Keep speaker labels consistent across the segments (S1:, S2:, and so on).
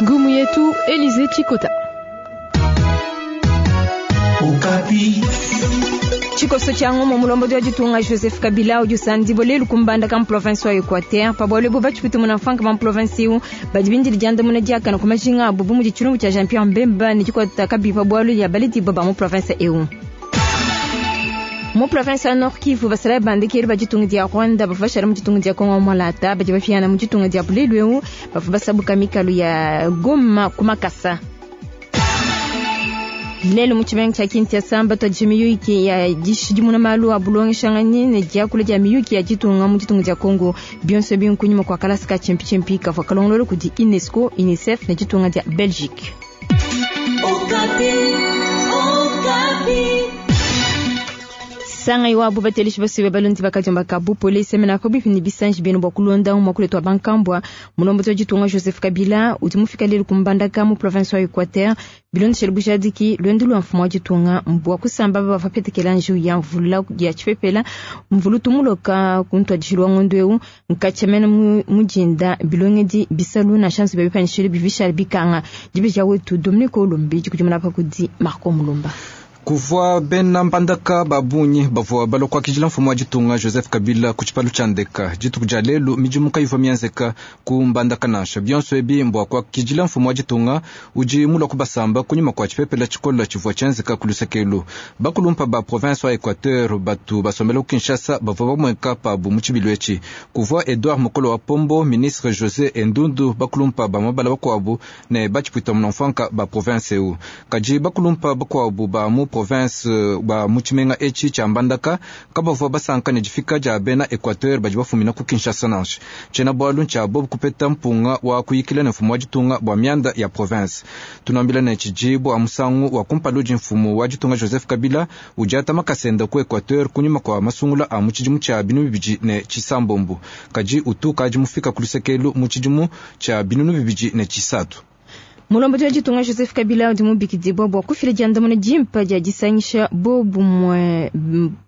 S1: Ngumu yetu Elize Chikota.
S2: Tshikoso tshia ngumu mulombodi wa ditunga Joseph Kabila udi usandibua lelu ku Mbandaka mu province wa Equateur. Pa bualu ebu batshipute munamfuanka ba mu province eu badi bindile diandamuna diakane ku majinga abu bu mudi tshilumbu tshia Jean Pierre Mbemba ne dikuata kabiyi pa bualu dia baledibua ba mu province eu. Mu province wa Nord Kivu, basalayi ba ndekelu ba ditunga dia Rwanda bavua bashala mu ditunga dia Congo Mwalata badi bapiana mu ditunga dia lelu eu bavua basabuka mikalu ya Goma ku makasa. Lelu mu tshimenga tshia Kinshasa mbatuadije miyuki ya dishidimuna malu a bulongeshanganyi ne diakula dia miyuki ya ditunga mu ditunga dia Congo. Bionso ebi nkunyima kua kalasa ka tshimpitshimpi kavua kalongolola kudi UNESCO, UNICEF ne ditunga dia Belgique. Sangayi wabu bateleshi basuibe balondi bakadiomba ka bupole semena pabuipi ne bisanji bienu bua kulonda muakulu wetu wa bankambua. Mulombodi wa ditunga Joseph Kabila udi mufika lelu ku Mbandaka mu province wa Equateur bilondeshele bujadiki luendu lua mfumu wa ditunga mbua kusamba aba bavua bapetekela njiwu ya mvula ya tshipepela mvula utu muloka ku ntuadijilu wa ngondo eu nkatshia mene mu dinda bilongedi bisalu nansha nzubu ya bipanyishilu bivua bishala bikanga. Dibeji wetu Dominique Olombi dikudimuna pa kudi Marco Mulumba.
S3: Kuvua bena Mbandaka ba bungi bavua balua kuakidila mfumu wa ditunga Joseph Kabila ku tshipalu tshia ndeka. Dituku dia lelu midimu kayivua mienzeka ku Mbandaka nansha. Bionso ebi mbua kuakidila mfumu wa ditunga udi mulua kubasamba kunyima kua tshipepela tshikola tshivua tshienzeka ku luseke elu. Bakulumpa ba province wa Equateur batu basombela ku Kinshasa bavua bamueka pabu mu tshibilu etshi. Kuvua Edouard Mokolo wa Pombo, ministre Jose Endundu, bakulumpa ba mabala bakuabu ne batshipuita munamfuanka ba province eu. Kadi bakulumpa bakuabu ba mu province ba mu tshimenga etshi tshia Mbandaka kabavua basanka ne difika dia bena Equateur badi bafumina ku Kinshasa nansha. Tshiena bualu ntshia bobu kupeta mpunga wa kuyikila ne mfumu wa ditunga bua mianda ya province. Tunuambila ne tshidi bua musangu wa kumpala udi mfumu wa ditunga Joseph Kabila udiata makasenda ku Equateur kunyima kua masungula a mu tshidimu tshia 2009. Kadi utu kadi mufika ku lusekelu mu tshidimu tshia 2003.
S2: Mulombodi wa ditunga Joseph Kabila udi mubikidibua bua kufila diandamuna dimpe dia disangisha bobumue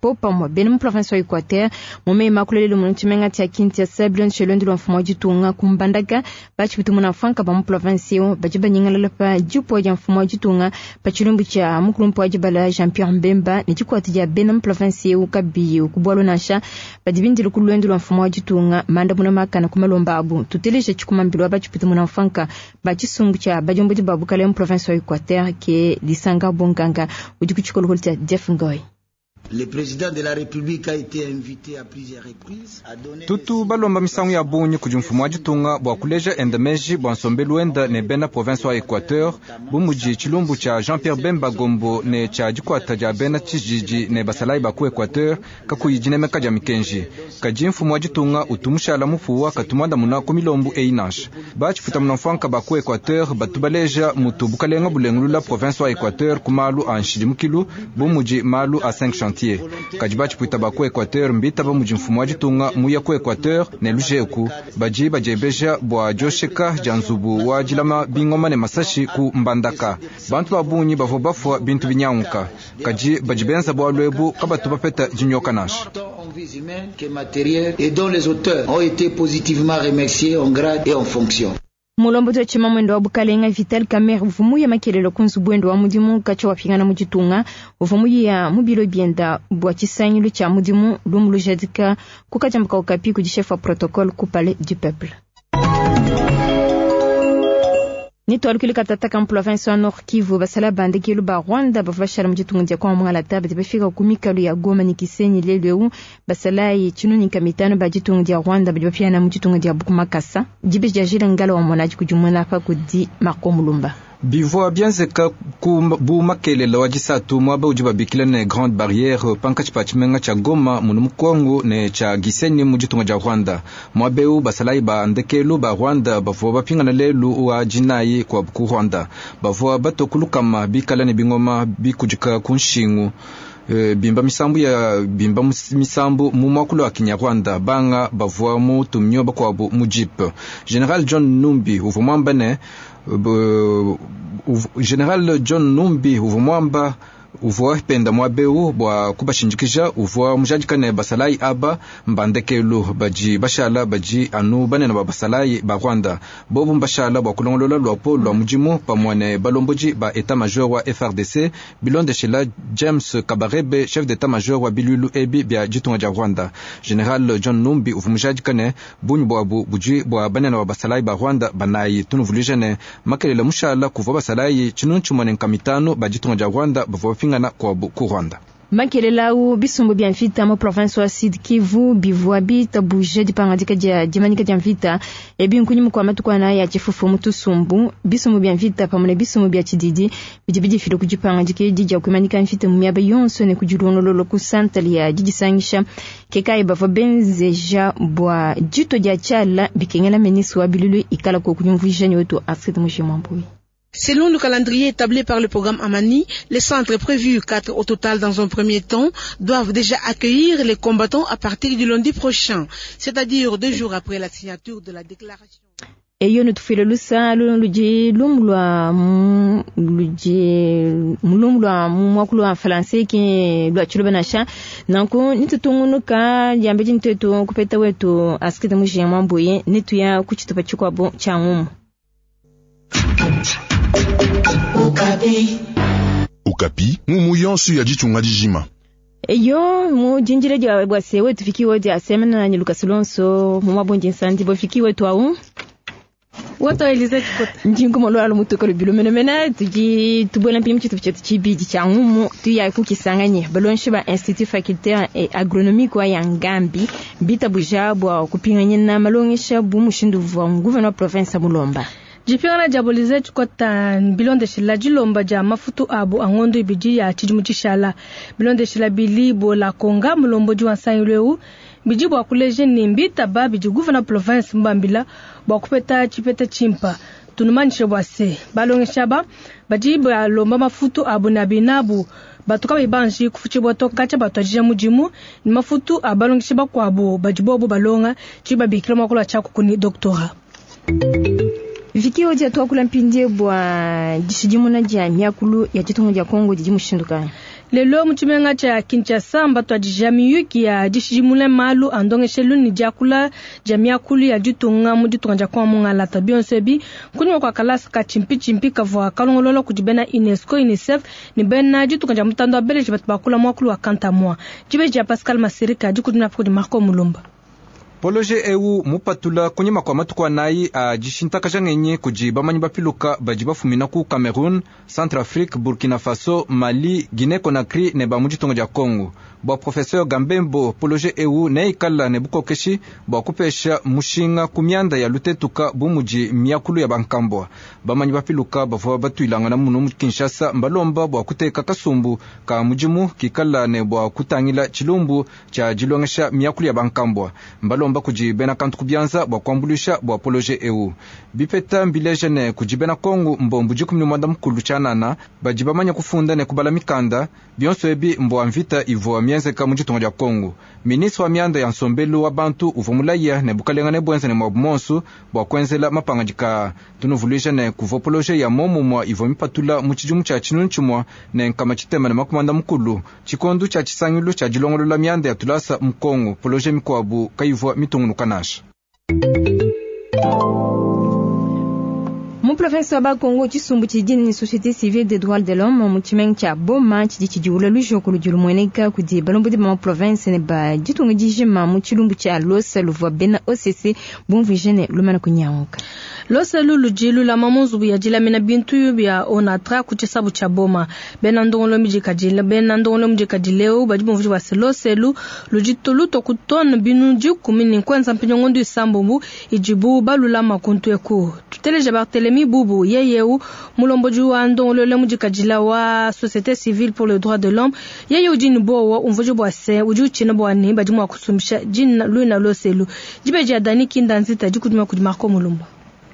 S2: popamue bena mu province wa Equateur mu meyi makulu lelu mu tshimenga tshia Kinshasa bilondeshile luendu lua mfumu wa ditunga ku Mbandaka. Batshipuita munamfuanka ba mu province eu badi banyingalala pa dipuwa dia mfumu wa ditunga pa tshilumbu tshia mukulumpe wa dibala Jean Pierre Mbemba ne dikuata dia bena mu province eu kabiyi ku bualu nansha. Badi bindile ku luendu lua mfumu wa ditunga mandamuna makane ku malomba abu. Tuteleje tshikumambilo wa batshipuita munamfuanka ba tshisumbu tshia badiombodi ba bukale mu province wa Equateur ke Lisanga Bonganga udi ku tshikolokolo tshia Jeff Ngoy.
S4: Le président de la République a été invité à plusieurs reprises à donner
S3: Tutu balomba misangu ya bungi kudi mfumu wa ditunga bua kuleja enda meji bua nsombelu wenda ne bena province wa Equateur bu mudi tshilumbu tshia Jean-Pierre Bemba Gombo ne tshia dikuata dia bena tshijiji ne basalayi ba ku Equateur kakuyi dinemeka dia mikenji. Kadi mfumu wa ditunga utu mushala mupuwa katu muandamuna ku milombu eyi nansha. Batshipuita munamfuanka ba ku Equateur batu baleja mutu bukalenga bulengulula province wa Equateur ku malu a nshidimukilu bu mudi malu a 5 chantier. Kadi batshipuita ba ku Equateur mbitaba mudi mfumu wa ditunga muya ku Equateur ne lujeku badi badiebeja bua diosheka dia nzubu wa dilama bingoma ne masashi ku Mbandaka. Bantu ba bungi bavua bafua bintu binyanguka, kadi badi benza bualu ebu kabatu bapeta dinyoka nansha.
S4: En vies humaines que matérielles et dont les auteurs ont été positivement remerciés en grade et en fonction.
S2: Mulombodi wa tshimamwendo wa bukalenga Vital Kamerhe uvua muya makelelo ku nzubu wende wa mudimu katshia wapingana mu ditunga. Uvua muya mu bilo bienda bua tshisangilu tshia mudimu lumu lujadika ku kadiamba ka Okapi kudi chef wa protocole ku Palais du Peuple. Nitwalukile katata ka mu province wa Nord Kivu basala bandekelu ba Rwanda bavua bashala mu ditunga dia Kongo Mwalata badi bafika ku mikalu ya Goma ne Kisenyi lelu eu. Basalayi tshinunika mitano ba ditunga dia Rwanda badi bapiana mu ditunga dia Bukumakasa. Dibeji dia Jila Ngala wa monaji kudi pa kudi Marco Mulumba.
S3: Bivua bienzeka ku bu makelela wa disatu muaba udi babikila ne Grande Barrière pankatshi pa tshimenga tshia Goma munu mu Kongo ne tshia Gisenyi mu ditunga dia Rwanda. Muaba eu basalayi ba ndekelu ba Rwanda bavua bapingana lelu wa dinayi kua ku Rwanda. Bavua batua ku lukama bikala ne bingoma bikudika ku nshingu. Bimba misambu ya bimba misambu mu muakulu wa Kinyarwanda banga bavua mu tumnyo bakuabu mu jeep. General John Numbi uvua muamba ne General John Numbi uvua muamba Uvua penda muaba eu bua kubashindikija, uvua mujadika ne basalayi aba mba ndekelu badi bashala badi anu banene ba basalayi ba Rwanda. Bobu mbashala bua kulongolola luapolo lua mudimu pamue ne balombodi ba etat-major wa FARDC, bilondeshela James Kabarebe, chef d'etat-major wa biluilu ebi bia ditunga dia Rwanda. General John Numbi uvua mujadika ne bungi buabu budi bua banene ba basalayi ba Rwanda banayi. Tunuvuluija ne makelela mushala kuvua basalayi 1500 ba ditunga dia Rwanda bavua bapingana kuabu ku Rwanda.
S2: Makelela au bisumbu bia mvita mu province wa Sud Kivu bivua bitabuje dipangadika dia dimanyika dia mvita ebi nkunyima kua matuku anayi a tshifufu mu tusumbu. Bisumbu bia mvita pamue ne bisumbu bia tshididi bidi bidifila ku dipangadika edi dia kuimanyika mvita mu miaba yonso ne ku dilongololo ku santale ya didisangisha. Ke kayi bavua benzeja bua ditua dia tshiala bikengela ministre wa bilulu ikala ko kunyumvuija ne wetu Astrid Mujimwambui.
S5: Selon le calendrier établi par le programme Amani, les centres prévus, 4 au total dans un premier temps, doivent déjà accueillir les combattants à partir du lundi prochain, c'est-à-dire 2 jours après la signature de la déclaration.
S2: Eyo nutufile lusa ludi lumu lua ludi mulumu lua muakulu wa français ki lua tshiluba nansha nanku nitutungunuka diambedi nituetu kupeta wetu Astrid Mujimwambuye nituya ku tshitupa tshikuabu tshia ngumu.
S6: Okapi. Okapi, ngumu yonso ya ditunga dijima.
S2: Eyo mu jinjire dia bwase wetu fikiwe dia semena na Lucas Lonso mu mabonji nsandi bo fikiwe tu au.
S1: Woto Elize Chikota.
S2: Njingu molo alo mutuka lubilo menemene tuji tubuela mpimchi chitu chetu chibidi cha ngumu tuya kukisanganye balonshi ba Institut Facultaire et Agronomique wa Yangambi bita buja bwa kupinganya na malongesha bu mushindu wa gouverneur province Mulomba.
S1: Jipingana dia Elize Chikota bilondeshela dilomba dia mafutu abu angondo ibidi ya tshidimu tshishala bilondeshela bilibo la Konga mulombodi wa nsangilu bidi bua kuleja ne mbitaba bidi gouverneur province mbambila bua kupeta tshipeta tshimpa tunumanyishe bua se balongesha ba badi balomba mafutu abu na binabu batuka bibanji kufuchibwa toka batwajija mudimu ni mafutu abalongesha bakuabu badi bobo balonga tshibabikila mwakula tshaku kuni doctorat.
S2: Viki odia tuakula mpindie bua dishidimuna dia miakulu ya ditunga dia Kongo didi mushindu kayi?
S1: Lelo mu tshimenga tshia Kinshasa mbatwadija miyuki ya dishidimuna malu a ndongeshelu ne diakula dia miakulu ya ditunga mu ditunga dia Kongo mungalata bionso ebi kunyima kua kalasa ka tshimpi kavua kalongolola kudi bena UNESCO UNICEF ne bena ditunga dia mutanda wa Belgique batu bakula muakulu wa Kantamwa. Dibeji dia Pascal Masirika dikudimuna kudi Marco Mulumba.
S3: Poloje eu mupatula kunyima kwa matuku anayi a dishintakaja ngenyi kudi bamanyi bapiluka badi bafumina ku Cameroun, Centrafrique, Burkina Faso, Mali, Guinée Conakry ne ba mu ditunga dia Congo. Bua professeur Gambembo, poloje eu neikala ne bukokeshi bua kupesha mushinga ku mianda ya lutetuka bu mudi miakulu ya bankambwa. Bamanyi bapiluka bavua batuilangana muno mu Kinshasa mbalomba bua kuteka kasumbu ka mudimu kikala ne bua kutangila tshilumbu tshia dilongesha miakulu ya bankambwa. Mbalomba kudi bena kantu kubianza bua kuambulisha bua poloje eu. Bipeta mbileje ne kudi bena Kongo mbombu 19 tshianana badi bamanya kufunda ne kubala mikanda bionso ebi mbua mvita ivua mienzeka mu ditunga dia Kongo. Ministre wa mianda ya nsombelu wa bantu uvua mulaya ne bukalenga ne buenza ne mwabu monsu bua kuenzela mapangadika. Tunuvuluija ne kuvua poloje ya momumua ivua mipatula mu tshidimu tshia 1990 tshikondu tshia tshisangilu tshia dilongolola mianda ya tulasa mu Kongo. Poloje mikuabu kayivua mitungunuka nansha.
S2: Mu province wa Bakongo tshisumbu tshidi ni société civile des droits de l'homme mu tshimenga tshia Boma tshidi tshidiwula lujoko ludi lumueneka kudi balombodi ba province ne ba ditunga dijima mu tshilumbu tshia Losa luvua bena OCC bumvuije ne lumana kunyanguka.
S1: Losa ludi lulama mu nzubu ya dilamina bintu bia Onatra ku tshisabu tshia Boma. Bena ndongolo mudikadile badi bumvuije bua se Losa ludi luto ku tone binu 10 ne kwenza mpinyo isambombo idibu balulama kuntu eku. Tuteleja Barthelemy Bubu yeyeu mulombodi wa ndongolole mudikadila wa société civile pour le droit de l'homme yeye udi ni bowa umvuje bua se udi utshina bua ne badi mua kusumbisha dina luina loselu dibeji ya Dani Kinda nzita dikudima kudi Marco Mulumba.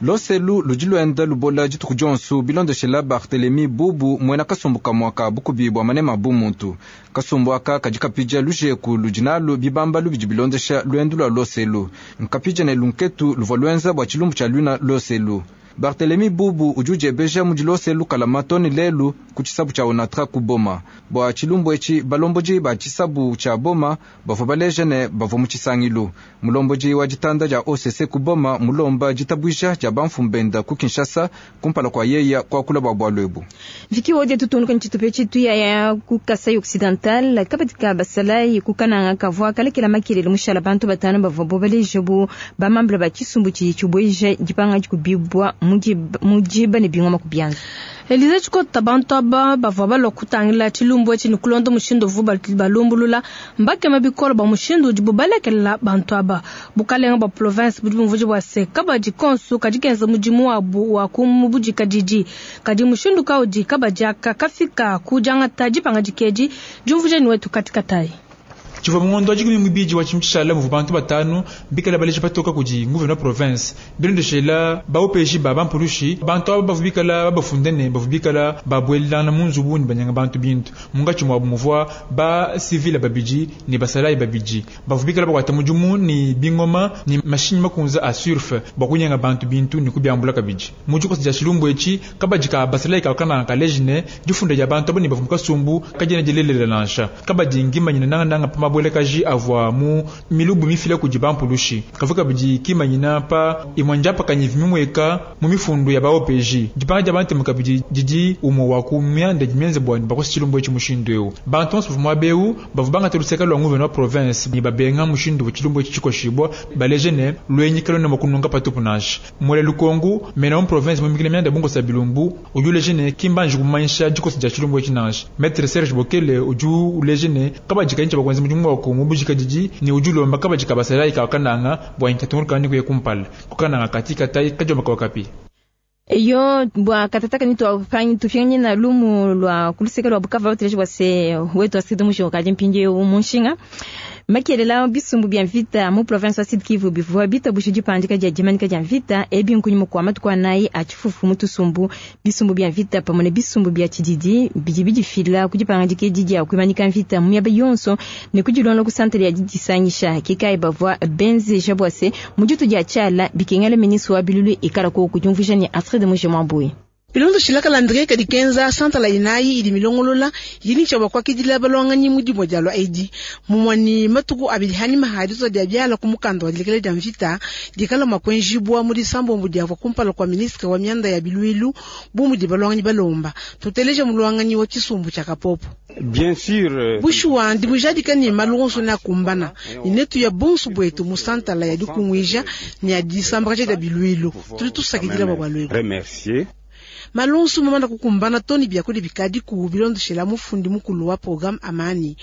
S3: Loselu ludi luenda lubola dituku dionso bilondeshela Barthelemy Bubu muena kasumbu kamua ka bukubi bua manema bu muntu. Kasumbu aka kadi kapija lujeku ludi nalu bibamba lubidi bilondesha luendu lua loselu. Nkapija ne lunketu luvua luenza bua tshilumbu tshia luina loselu. Barthelemy Bubu udi udiebeja mudi lose lukalama too ne lelu ku tshisabu tshia Onatra ku Boma. Bua tshilumbu etshi, balombodi ba tshisabu tshia Boma bavua baleja ne bavua mu tshisangilu. Mulombodi wa ditanda dia OCC ku Boma mulomba ditabuija dia bamfumu benda ku Kinshasa kumpala kua yeya kuakula bua bualu ebu.
S2: Viki wodi tutunduka ntshitupa tshitu ya ku Kasai Occidental kabadi ka basalayi ku Kananga kavua kalekela makelele mushala bantu batanu bavua bo baleja bu bamambula ba tshisumbu tshidi tshibueja dipanga dikubibua mu diba ne bingoma ku bianza.
S1: Elize Tshikota bantu aba bavua balua kutangila tshilumbu etshi ne kulonda mushindu uvu balumbulula mbakema bikole bua mushindu udibu balekelela bantu aba. Bukalenga bua province budi bumvuija bua se kabadi konsu kadi kenza mudimu wabu wa kumubudika didi kadi mushindu kaudi kabadi aka kafika ku diangata dipangadika edi diumvuija ni wetu katikatayi.
S7: Tshivua mugondo wa dikumi mubidi wa tshimu tshishala muvua bantu batanu bikala baleja patoka kudi gouverneur province bilondeshela baopeji ba bampulushi. Bantu aba bavua bikala babafunde ne bavua bikala babuelelana mu nzubu ne banyanga bantu bintu. Munkatshi muabu muvua ba civile babidi ne basalayi babidi bavua bikala bakuata mudimu ne bingoma ne mashinyi makunza a surf bua kunyanga bantu bintu ne kubiambula kabidi. Mu dikosa dia tshilumbu etshi, kabadi ka basalayi kakana kaleji ne difunda dia bantu aba ne bavua mu kasumbu kadiena dilelela nansha. Kabadi ngimanyina nangananga pa mabuelekaji avua mu milubu mifila kudi bampulushi, kavua kabidi kimanyina pa imue ndiapakanyi mimweka mu mifundu ya ba OPJ. Dipanga dia bantemu kabidi didi umue wa ku mianda idi mienze bua bakosa tshilumbu etshi mushindu eu. Bantu bonso bavua muaba eu bavua bangata luseke lua gouverneur wa province ne babenga mushindu wa tshilumbu etshi tshikoshibua, baleje ne luenyi kaluena mua kununga patupu nansha. Mwele Lukongu mena mu province mumikile mianda bunkosa bilumbu udi uleje ne kimbanji kumanyisha dikosa dia tshilumbu etshi nansha. Maître Serge Bokele udi uleje ne kabadi kayintsha bakwenza mudimu wako mu budikadidi ne udi ulomba kabadi ka basalayi ka Kananga bua inkatunguruka ne kuya kumpala kukananga katika tai kajomba kwa kapi.
S2: Yo bua katataka ni tuapangi tufyanye na lumu lwa kuluseka lwa Bukavu bateleje bua se wetu asidi musho kadi mpindieu munshinga makelela bisumbu bya mvita mu province wa Sud Kivu bivua bitabusha dipandika dia dimanika dia mvita ebi nkunyima kua matuku anayi a tshifufu mu tusumbu. Bisumbu bya mvita pamue ne bisumbu bya tshididi bidi bidifila ku dipangadika edi dia kuimanika mvita mu miaba yonso ne kudilonda ku santere ya didisangisha. Ke bavua benzeja bua se mu ditu dia tshiala bikengela ministre wa bilulu ikala koku diumvuija ne Astrid Muje Mwambui.
S5: Bilondeshila calendrier kadi kenza santala inayi idi milongolola yini tshia bakwakidila balwanganyi mu dimue dialua edi mumue matuku abidi hanyima ha ditua dia biala ku mukanda wa dilekela dia mvita dikala mua kuenjibua mu disambombo diavua kumpala kua ministre wa mianda ya biluilu bu mudi balwanganyi balomba. Tuteleja mulwanganyi wa tshisumbu tshia Kapopo.
S8: Bien sûr.
S5: Bushuwa ndi mujadika ne malu onso ne akumbana ne netu ya bonso bwetu mu santala ya dikunguija ne ya disambakaja dia biluilu tudi tusakidila bua bualu ebu.
S8: Remercier.
S5: Malonsu mamanda kukumbana toni biakudi bikadi ku bilondeshela mufundi mukulu wa programme Amani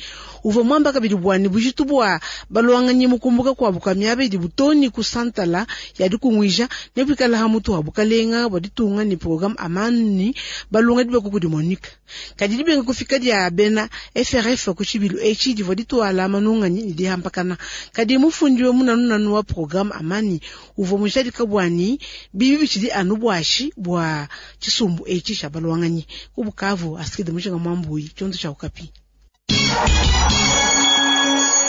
S5: uvua mwamba kabidi bwani bujitu bua balwanganyi mukumbuka kwabu ka miaba idi butoni ku santala ya dikunguija ne buikala ha mutu wa bukalenga bua ditunga ni programme Amani balunga dibako kudi Monica kadi dibenga kufika dia bena FRF ku tshibilu etshi divua dituala manunganyi ne dihampakana. Kadi mufundi wa munanunanu wa programme Amani uvua mujadika bwani bibi bitshidi anu bwashi bua tshisumbu etshi tshia balwanganyi ku Bukavu. Asikide Mujinga Mwambuyi, tshiondo tshia Okapi.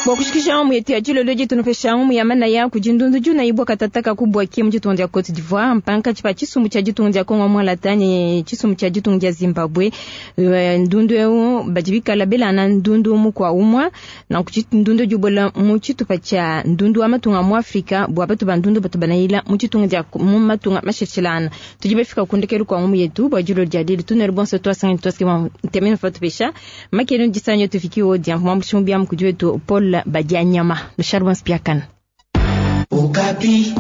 S2: Bua kushikisha mu yetu ya dilolo ditunupesha mu ya manaya kudi ndundu juna ibwa katataka kubwaki mu ditunga dia Cote d'Ivoire mpanka tshipa tshisumbu tshia ditunga dia Congo mwalata ne tshisumbu tshia ditunga dia Zimbabwe. Ndundu eu badi bikala belana ndundu mu kwa umwa na ku ndundu jubola mu tshitupa tshia ndundu wa matunga mu Afrika bua batu ba ndundu batu banayila mu ditunga dia mu matunga mashetshilana. Tudi bafika kundekelu kwa mu yetu bua dilolo dia lelu tunere bonso twasanga twaske temene fatupesha makenu disanyo tufikiwo dia mwa bia mukudi wetu Paul Badianyama Charles Spiakana.
S4: Okapi.